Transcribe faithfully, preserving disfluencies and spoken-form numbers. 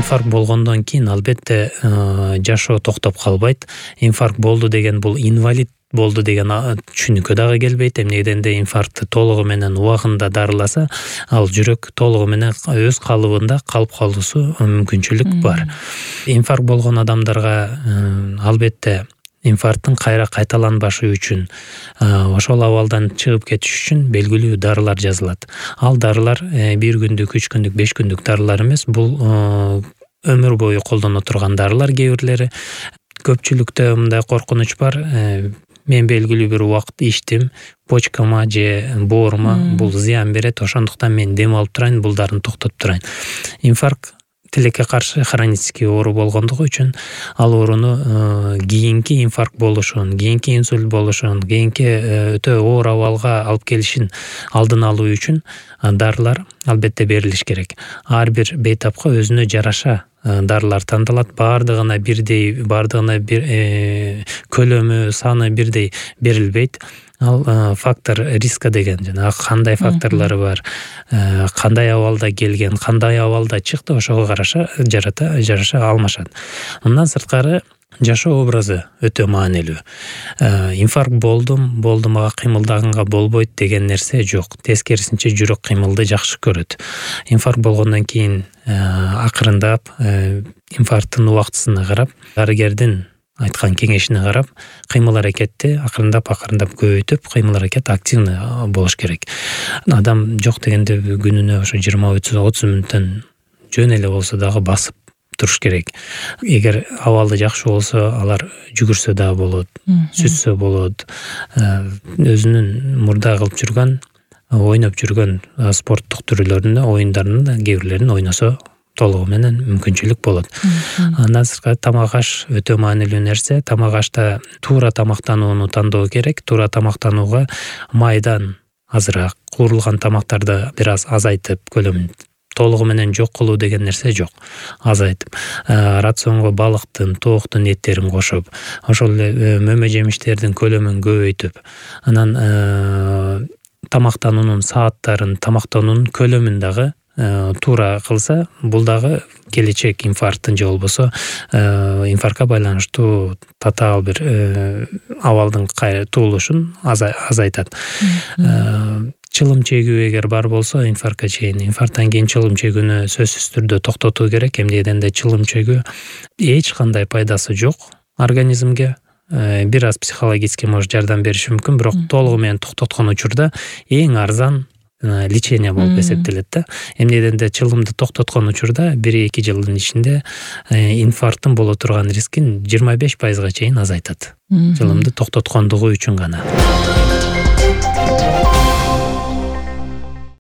инфаркт болгондон кийин албетте жашоо токтоп калбайт. Инфаркт болду деген бул инвалид болду деген түшүнүккө дагы келбейт. Эмне дегенде инфарктты толугу менен убагында дарыласа, ал жүрөк толугу менен өз калыбында калып калуусу мүмкүнчүлүк бар. Инфаркт болгон адамдарга албетте инфаркттын кайра кайталанбашы үчүн, ошол абалдан чыгып кетиш үчүн белгилүү дарылар жазылат. Ал дарылар бир күндүк, үч күндүк, беш күндүк дарылар эмес, бул өмүр бою колдоно турган дарылар. Кээ бирлери көпчүлүктө мындай коркунуч бар. Мен белгилүү бир убакыт ичтим, почкама же боорума бул зыян берет, ошондуктан мен дем алып турайын, бул дарыны токтотуп турайын. Инфаркт тилекке каршы хронический оору болгондугу үчүн ал ооруну кийинки инфаркт болушун, кийинки инсульт болушун, кийинки өтө оор абалга алып келишин алдын алуу үчүн дарылар албетте берилиш керек. Ар бир бейтапка өзүнө жараша дарылар тандалат. Бардыгына бирдей, бардыгына бир көлөмү, саны бирдей берилбейт. Ал фактор риска деген, жана кандай факторлору бар, кандай абалда келген, кандай абалда чыкты, ошого караша жарата жараша алмашат. Мындан сырткары жашоо образы өтө маанилүү. Инфаркт болдум, болду мага кыймылдаганга болбойт деген нерсе жок. Тескерисинче жүрөк кыймылды жакшы көрөт. Инфаркт болгондон кийин акырындап инфаркттын убактысына карап, дарыгердин айткан кеңешине карап, кыймыл аракетти акырындап акырындап көбөйтүп, кыймыл аракет активный болуш керек. Адам жок дегенде күнүнө ошо жыйырма отуз мүнөттөн жөн эле болсо дагы басып туруш керек. Эгер абалы жакшы болсо, алар жүгүрсө дагы болот, сүзсө болот. Өзүнүн мурда кылып жүргөн, ойноп жүргөн спорттук түрлөрүнө, оюндарында кээ бирлерин ойносо толугу менен мүмкүнчүлүк болот. Андан сырткары тамак аш өтө маанилүү нерсе. Тамак ашта туура тамактанууну тандоо керек. Туура тамактанууга майдан азыраак, куурулган тамактарды бир аз азайтып, көлөмүн толугу менен жок кылуу деген нерсе жок. Азайтып, рационго балыктын, тооктун эттерин кошуп, ошол эле мөмө жемиштердин көлөмүн көбөйтүп, анан тамактануунун сааттарын, тамактануунун көлөмүн дагы туура кылса, бул дагы келечек инфаркттын же болбосо инфарктка байланыштуу татаал бир абалдын туулушун азайтат. Чылым чегүү эгер бар болсо, инфарктка чейин, инфаркттан кийин чылым чегүүнү сөзсүз түрдө токтотуу керек. Эмне дегенде чылым чегүү эч кандай пайдасы жок организмге. Бир аз психологически может жардам бериши мүмкүн, бирок толугу менен токтоткон учурда эң арзан лечение болуп эсептелет да. Эмне дегенде чылымды токтоткон учурда бир-эки жылдын ичинде инфаркттын боло турган рискин жыйырма беш пайызга чейин азайтат. Чылымды токтоткондугу үчүн гана.